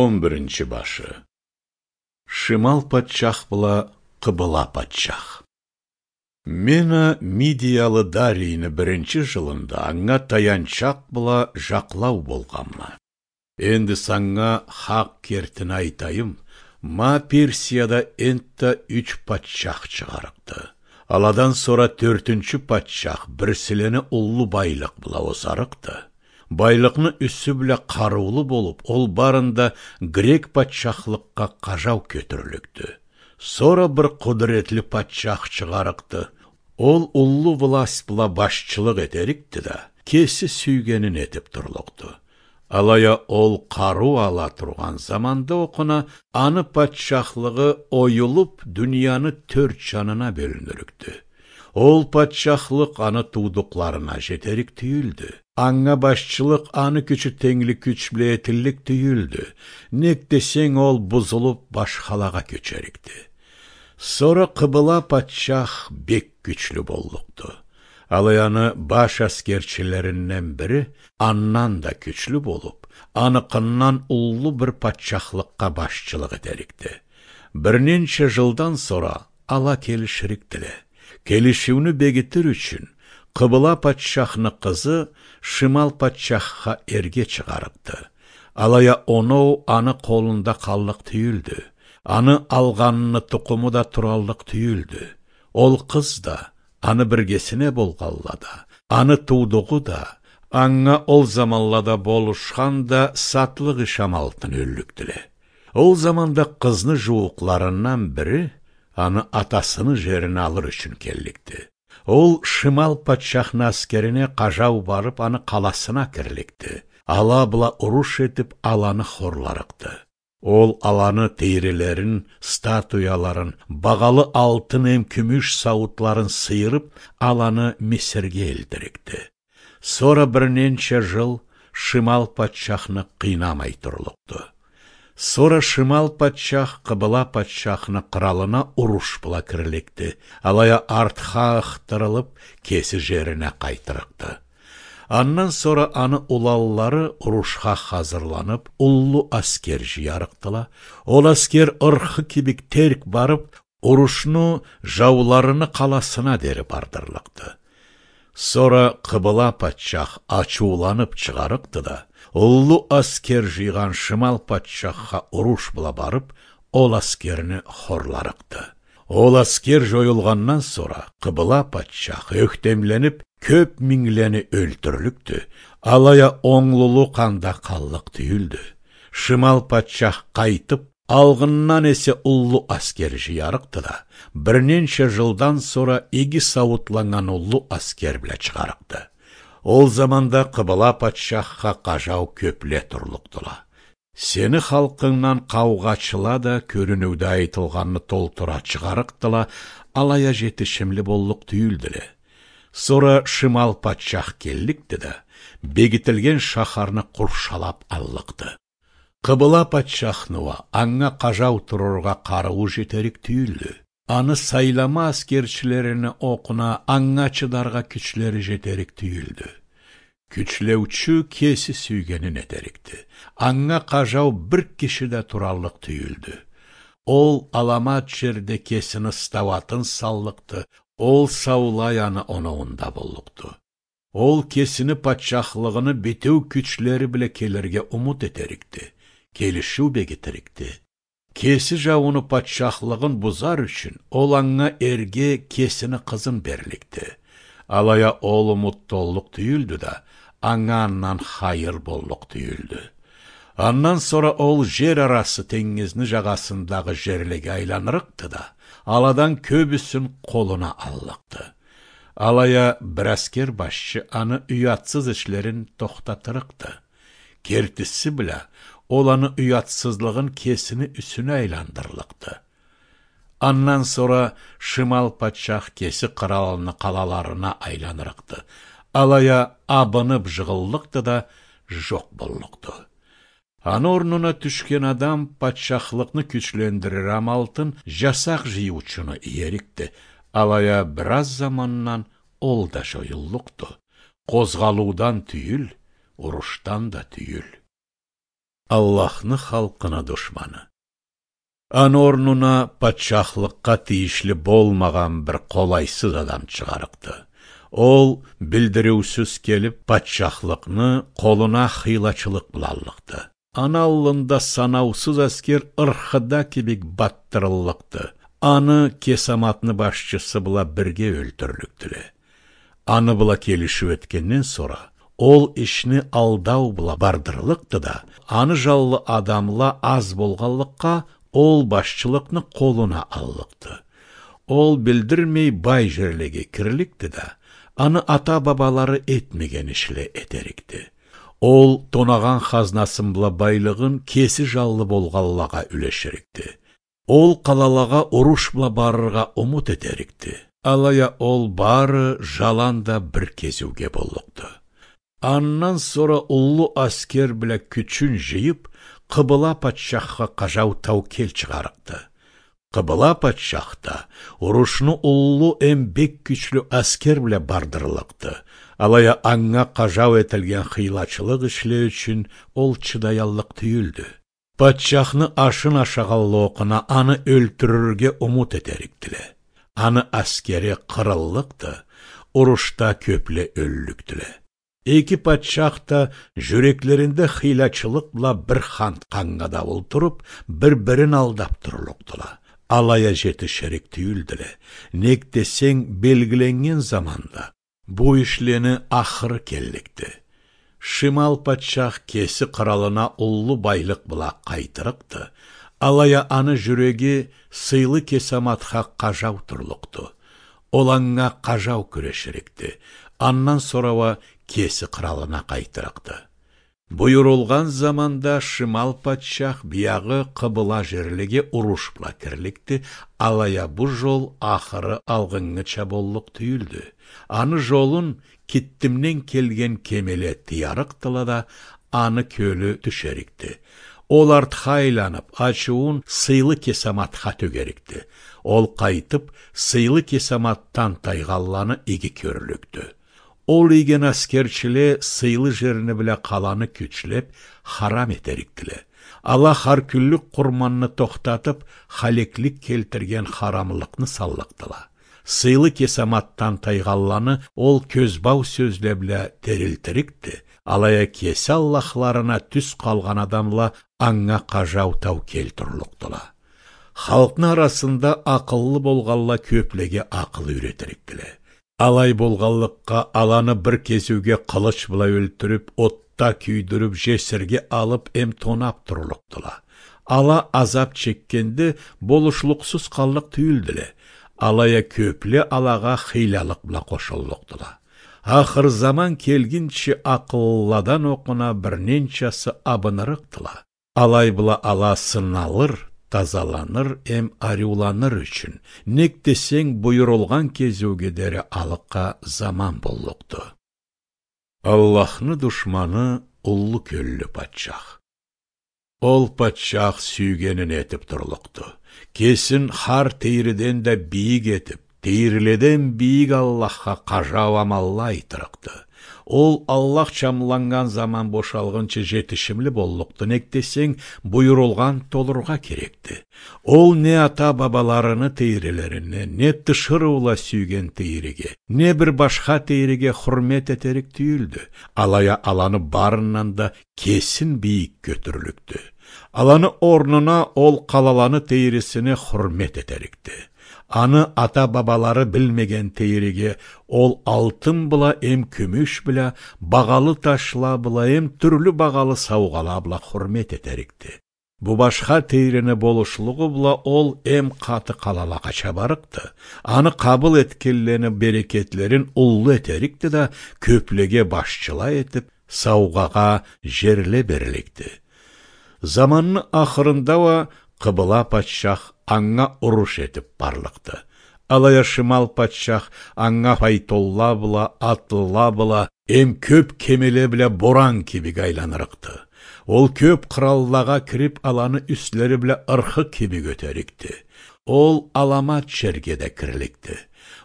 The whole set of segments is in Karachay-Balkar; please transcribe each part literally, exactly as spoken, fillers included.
Он биринчи башы. Шимал патчах бла къыбыла патчах. Мен а мидиялы Дарийни биринчи жылында анга таянчакъ бла жакълау болгъанма. Энди санга хакъ кертини айтайым, ма Персияда энтда юч патчах чыгъарыкъды. Аладан сора тёртюнчю патчах бирсилени уллу байлыкъ бла озарыкъды. Байлыкъны юсю бла къарыулу болуп, ол барын да грек патчахлыкъгъа къажау кётюрлюкдю. Сора бир къудуретли патчах чыгъарыкъды. Ол уллу власть бла башчылыкъ этерикди да, кеси сюйгенин этип турлукъду. Алай а ол къарыу ала тургъан заманда окъуна аны патчахлыгъы оюлуп, дунияны тёрт жанына бёлюнюрюкдю. Ол патчахлыкъ аны туудукъларына жетерик тюйюлдю. Анга башчылыкъ аны кючю тенглик кюч бла этиллик тюйюлдю. Нек десенг, ол бузулуп, башхалагъа кёчерикди. Сора къыбыла патчах бек кючлю боллукъду. Алай аны баш аскерчилеринден бири андан да кючлю болуп, аныкъындан уллу бир патчахлыкъгъа башчылыкъ этерикди. Бир ненча жылдан сора ала келиширикдиле. Келишиуню бегитир ючюн, къыбыла патчахны къызы шимал патчахха эрге чыгъарыкъды. Алай а оноу аны къолунда къаллыкъ тюйюлдю. Аны алгъанны тукъуму да тураллыкъ тюйюлдю. Ол къыз да, аны биргесине болгъанла да, аны туудугъу да, анга ол заманлада болушхан да сатлыкъ иш амалтын ёллюкдюле. Ол заманда къызны жууукъларындан бири аны атасыны жерин алыр ючюн келликди. Ол шимал патчахны аскерине къажау барып, аны къаласына кирликди. Ала бла уруш этип, аланы хорларыкъды. Ол аланы тийрилерин, статуяларын, багъалы алтын эм кюмюш сауутларын сыйырып, аланы Мисирге элтирикди. Сора бир ненча жыл шимал патчахны къыйнамай турлукъду. Сора шимал патчах къыбыла патчахны къыралына уруш бла кирликди, алай а артха ыхтырылып, кеси жерине къайтырыкъды. Андан сора аны уланлары урушха хазырланып, уллу аскер жыярыкъдыла. Ол аскер ырхы кибик терк барып, урушну жауларыны къаласына дери бардырлыкъды. Сора къыбыла патчах ачыуланып чыгъарыкъды да, уллу аскер жыйгъан шимал патчахха уруш бла барып, ол аскерни хорларыкъды. Ол аскер жоюлгъандан сора, къыбыла патчах ёхтемленип, кёп минглени ёлтюрлюкдю, алай а онглулукъ анда къаллыкъ тюйюлдю. Шимал патчах къайтып, алгъындан эсе уллу аскер жыярыкъды да, бир ненча жылдан сора иги сауутланнган уллу аскер бла чыгъарыкъды. Ол заманда къыбыла патчахха къажау кёпле турлукъдула. Сени халкъынгдан къаугъачыла да кёрюнюуде айтылгъанны толтура чыгъарыкъдыла, алай а жетишимли боллукъ тюйюлдюле. Сора шимал патчах келликди да, бегитилген шахарны къуршалап аллыкъды. Къыбыла патчахны уа анга къажау турургъа къарыуу жетерик тюйюлдю. Аны сайлама аскерчилерини окъуна анга чыдаргъа кючлери жетерик тюйюлдю. Кючлеучю кеси сюйгенин этерикди. Анга къажау бир киши да тураллыкъ тюйюлдю. Ол аламат жерде кесини стауатын саллыкъды, ол саулай аны оноуунда боллукъду. Ол кесини патчахлыгъыны битеу кючлери бла келирге умут этерикди, келишиу бегитирикди. Кеси жаууну патчахлыгъын бузар ючюн, ол анга эрге кесини къызын берликди. Алай а ол умут толлукъ тюйюлдю да, анга андан хайыр боллукъ тюйюлдю. Андан сора ол жер арасы тенгизни жагъасындагъы жерлеге айланырыкъды да, аладан кёбюсюн къолуна аллыкъды. Алай а бир аскер башчы аны уятсыз ишлерин тохтатырыкъды. Кертиси бла, ол аны уятсызлыгъын кесини юсюне айландырлыкъды. Андан сора шимал патчах кеси къыралыны къалаларына айланырыкъды. Алай а абынып жыгъыллыкъды да, жокъ боллукъду. Аны орнуна тюшген адам патчахлыкъны кючлендирир амалтын жасакъ жыйыучуну иерикди. Алай а бир аз замандан ол да жоюллукъду. Къозгъалыудан тюйюл, урушдан да тюйюл. Аллахны халкъыны душманы. Аны орнуна патчахлыкъгъа тийишли болмагъан бир къолайсыз адам чыгъарыкъды. Ол билдириусюз келип, патчахлыкъны къолуна хыйлачылыкъ бла аллыкъды. Аны аллында санаусуз аскер ырхыда кибик батдырыллыкъды. Аны кесаматны башчысы бла бирге ёлтюрлюкдюле. Аны бла келишиу этгенден сора, ол ишни алдау бла бардырлыкъды да, аны жанлы адамла аз болгъанлыкъгъа, ол башчылыкъны къолуна аллыкъды. Ол билдирмей бай жерлеге кирликди да, аны ата-бабалары этмеген ишле этерикди. Ол тонагъан хазнасы бла байлыгъын кеси жанлы болгъанлагъа юлеширикди. Ол къалалагъа уруш бла барыргъа умут этерикди. Алай а ол бары жаланда бир кезиуге боллукъду. Андан сора уллу аскер бла кючюн жыйып, Къыбыла патчахха къажау таукел чыгъарыкъды. Къыбыла патчах да урушну уллу эм бек кючлю аскер бла бардырлыкъды. Алай а анга къажау этилген хыйлачылыкъ ишле ючюн ол чыдаяллыкъ тюйюлдю. Патчахны ашын ашагъанлы окъуна аны ёлтюрюрге умут этерикдиле. Аны аскери къырыллыкъды, урушда кёпле ёллюкдюле. Эки патчах да жюреклеринде хыйлачылыкъ бла бир хант къанга да олтуруп, бир-бирин алдап турлукъдула. Алай а жетиширик тюйюлдюле. Нек десенг, белгиленнген заманда бу ишлени ахыры келликди. Шимал патчах кеси къыралына уллу байлыкъ бла къайтырыкъды. Алай а аны жюреги сыйлы кесаматха къажау турлукъду. Ол анга къажау кюреширикди. Андан сора уа кеси къыралына къайтырыкъды. Буюрулгъан заманда Шимал патчах биягъы къыбыла жерлеге уруш бла кирликди, алай а бу жол ахыры алгъынгыча боллукъ тюйюлдю. Аны жолун Киттимден келген кемеле тыярыкъдыла да, аны кёлю тюшерикди. Ол артха айланып, ачыуун сыйлы кесаматха тёгерикди. Ол къайтып, сыйлы кесаматдан тайгъанланы иги кёрлюкдю. Ол ийген аскерчиле сыйлы жерни бла къаланы кючлеп, харам этерикдиле. Ала хар кюнлюк къурманны тохтатып, халеклик келтирген харамлыкъны саллыкъдыла. Сыйлы кесаматдан тайгъанланы ол кёзбау сёзле бла терилтирикди, алай а кеси аллахларына тюз къалгъан адамла анга къажау таукел турлукъдула. Халкъны арасында акъыллы болгъанла кёплеге акъыл юйретирикдиле. Алай болгъанлыкъгъа, аланы бир кезиуге къылыч бла ёлтюрюп, отда кюйдюрюп, жесирге алып эм тонап турлукъдула. Ала азап чекгенде, болушлукъсуз къаллыкъ тюйюлдюле. Алай а кёпле алагъа хыйлалыкъ бла къошуллукъдула. Ахыр заман келгинчи, акъыллыладан окъуна бир ненчасы абынырыкъдыла. Алай бла ала сыналыр, тазаланыр эм ариуланыр ючюн, нек десенг, буюрулгъан кезиуге дери алыкъгъа заман боллукъду. Аллахны душманы уллу кёллю патчах. Ол патчах сюйгенин этип турлукъду. Кесин хар тийриден да бийик этип, тийриледен бийик Аллахха къажау амалла айтырыкъды. Ол Аллах чамланнган заман бошалгъынчы жетишимли боллукъду, нек десенг, буюрулгъан толургъа керекди. Ол не ата-бабаларыны тийрилерине, не тиширыула сюйген тийриге, не бир башха тийриге хурмет этерик тюйюлдю. Алай а аланы барындан да кесин бийик кётюрлюкдю. Аланы орнуна ол къалаланы тийрисине хурмет этерикди. Аны ата-бабалары билмеген тийриге ол алтын бла эм кюмюш бла, багъалы ташла бла эм тюрлю багъалы саугъала бла хурмет этерикди. Бу башха тийрини болушлугъу бла ол эм къаты къалалагъа чабарыкъды. Аны къабыл этгенлени берекетлерин уллу этерикди да, кёплеге башчыла этип, саугъагъа жерле берликди. Заманны ахырында уа Къыбыла патчах анга уруш этип барлыкъды. Алай а Шимал патчах анга файтонла бла, атлыла бла, эм кёп кемеле бла боран кибик айланырыкъды. Ол кёп къыраллагъа кирип, аланы юслери бла ырхы кибик ётерикди. Ол аламат жерге да кирликди.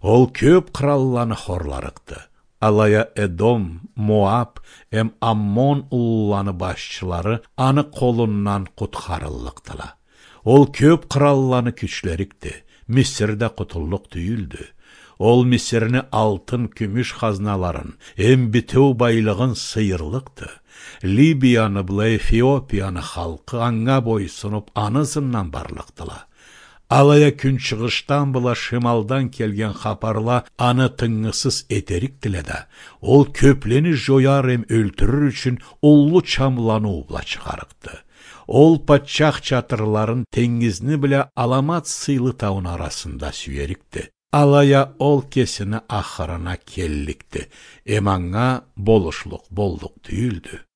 Ол кёп къыралланы хорларыкъды. Алай а Эдом, Моаб эм Аммон улуланы башчылары аны къолундан къутхарыллыкъдыла. Ол кёп къыралланы кючлерикди, Мисир да къутуллукъ тюйюлдю. Ол Мисирни алтын, кюмюш хазналарын эм битеу байлыгъын сыйырлыкъды. Либияны бла Эфиопияны халкъы анга бойсунуп, аны ызындан барлыкъдыла. Алай а кюнчыгъышдан бла шималдан келген хапарла аны тынгысыз этерикдиле да, ол кёплени жояр эм ёлтюрюр ючюн уллу чамланыу бла чыгъарыкъды. Ол патчах чатырларын тенгизни бла аламат сыйлы тауну арасында сюерикди. Алай а ол кесини ахырына келликди, эм анга болушлукъ боллукъ тюйюлдю.